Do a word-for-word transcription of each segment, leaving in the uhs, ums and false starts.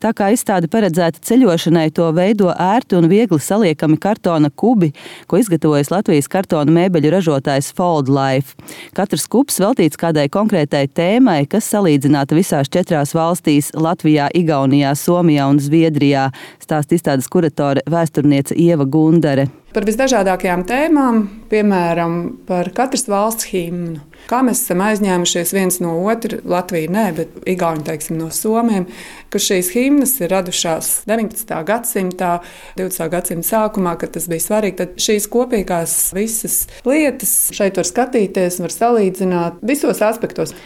Tā kā izstāde paredzēta ceļošanai, to veido ērti un viegli saliekami kartona kubi, ko izgatavojas Latvijas kartona mēbeļu ražotājs Fold Life. Katrs kubs veltīts kādai konkrētai tēmai, kas salīdzināta visās četrās valstīs – Latvijā, Igaunijā, Somijā un Zviedrijā, stāsta izstādes kuratore vēsturniece Ieva Gundare. Par visdažādākajām tēmām, piemēram, par katras valsts himnu. Kā mēs esam aizņēmušies viens no otra, Latvija nē, bet Igauni, teiksim, no Somiem, ka šīs himnas ir radušās deviņpadsmitā gadsimtā, divdesmitā gadsimta sākumā, kad tas bija svarīgi. Tad šīs kopīgās visas lietas šeit var skatīties, var salīdzināt visos aspektos.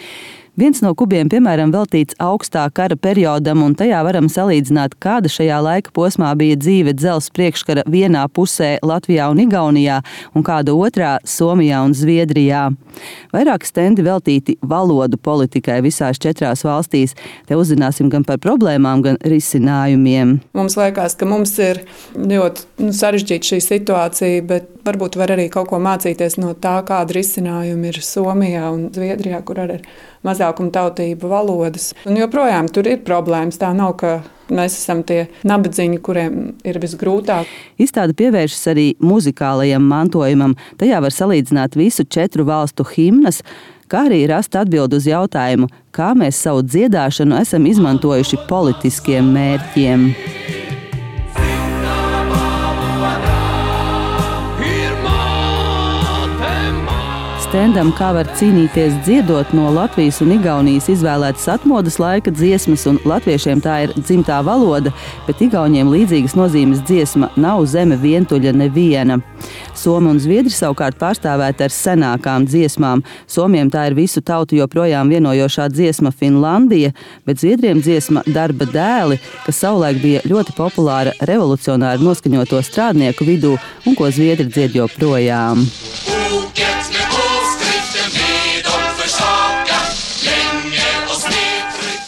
Viens no kubiem, piemēram, veltīts augstā kara periodam, un tajā varam salīdzināt, kāda šajā laika posmā bija dzīve dzelzs priekškara vienā pusē Latvijā un Igaunijā, un kāda otrā Somijā un Zviedrijā. Vairāki stendi veltīti valodu politikai visās četrās valstīs. Te uzzināsim gan par problēmām, gan risinājumiem. Mums liekas, ka mums ir ļoti nu, sarežģīta šī situācija, bet varbūt var arī kaut ko mācīties no tā, kāda risinājuma ir Somijā un Zviedrijā, kur arī ir mazākuma tautību valodas. Un joprojām tur ir problēmas. Tā nav, ka mēs esam tie nabadzīņi, kuriem ir visgrūtāk. Izstāde pievēršas arī muzikālajam mantojumam. Tajā var salīdzināt visu četru valstu himnas, kā arī rast atbildi uz jautājumu, kā mēs savu dziedāšanu esam izmantojuši politiskiem mērķiem. Stendam, kā var cīnīties dziedot, no Latvijas un Igaunijas izvēlētas atmodas laika dziesmas, un latviešiem tā ir dzimtā valoda, bet Igauniem līdzīgas nozīmes dziesma Nav zeme vientuļa neviena. Somi un Zviedri savukārt pārstāvēti ar senākām dziesmām. Somiem tā ir visu tautu joprojām vienojošā dziesma Finlandija, bet Zviedriem dziesma Darba dēli, kas savulaik bija ļoti populāra revolucionāri noskaņoto strādnieku vidū un ko Zviedri dzied joprojām.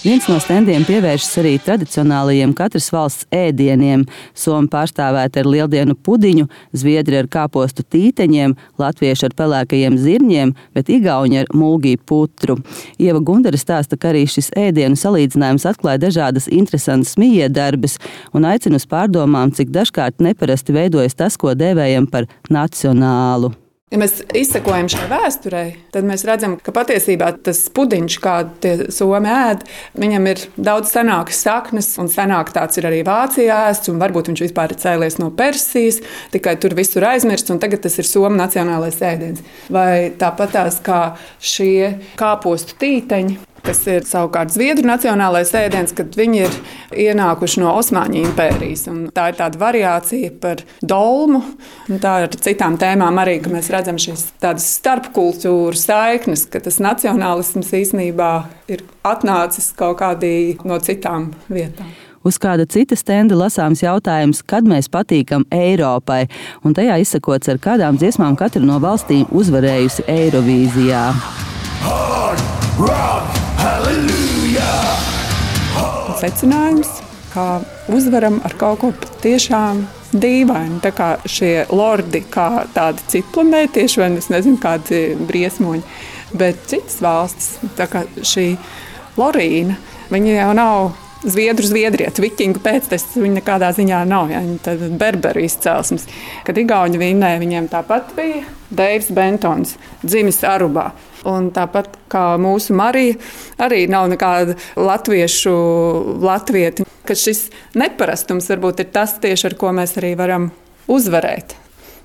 Viens no stendiem pievēršas arī tradicionālajiem katras valsts ēdieniem. Somi pārstāvēti ar lieldienu pudiņu, Zviedri ar kāpostu tīteņiem, latvieši ar pelēkajiem zirņiem, bet igauņi ar mulgī putru. Ieva Gundare stāsta, ka arī šis ēdienu salīdzinājums atklāja dažādas interesantas mijiedarbes un aicina uz pārdomām, cik dažkārt neparasti veidojas tas, ko dēvējam par nacionālu. Ja mēs izsekojam šai vēsturei, tad mēs redzam, ka patiesībā tas pudiņš, kādu tie somi ēd, viņam ir daudz senākas saknes, un senāk tāds ir arī Vācijā ēsts, un varbūt viņš vispār ir cēlies no Persijas, tikai tur visur aizmirsts, un tagad tas ir somu nacionālais ēdiens. Vai tāpatās kā šie kāpostu tīteņi, kas ir savukārt Zviedru nacionālais ēdiens, kad viņi ir ienākuši no Osmaņu impērijas. Un tā ir tāda variācija par dolmu. Un tā ir citām tēmām arī, ka mēs redzam šīs tādas starpkultūru saiknes, ka tas nacionālisms īstenībā ir atnācis kaut kādī no citām vietām. Uz kāda cita stenda lasāms jautājums, kad mēs patīkam Eiropai, un tajā izsakots, ar kādām dziesmām katra no valstīm uzvarējusi Eirovīzijā. Secinājums, kā uzvaram ar kaut ko tiešām dīvainu. Tā kā šie lordi, kā tādi citplanētieši, vai es nezinu, kādi briesmoņi, bet citas valstis, tā kā šī Lorīna, viņa jau nav Zviedru zviedrieti, vikingu pēctecis, viņi nekādā ziņā nav, ja, viņi tad berberu izcelsmes. Kad igauņi vinnēja, viņiem tāpat bija Deivs Bentons, dzimis Arubā. Un tāpat kā mūsu Marija, arī nav nekāda latviešu latvieti, ka šis neparastums varbūt ir tas tieši, ar ko mēs arī varam uzvarēt.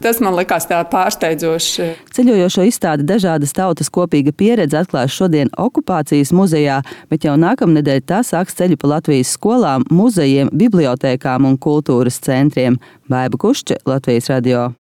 Tas man likās tā pārsteidzoši. Ceļojošo izstādi Dažādas tautas kopīga pieredze atklās šodien Okupācijas muzejā, bet jau nākamnedēļ tā sāks ceļu pa Latvijas skolām, muzejiem, bibliotēkām un kultūras centriem. Baiba Kušče, Latvijas radio.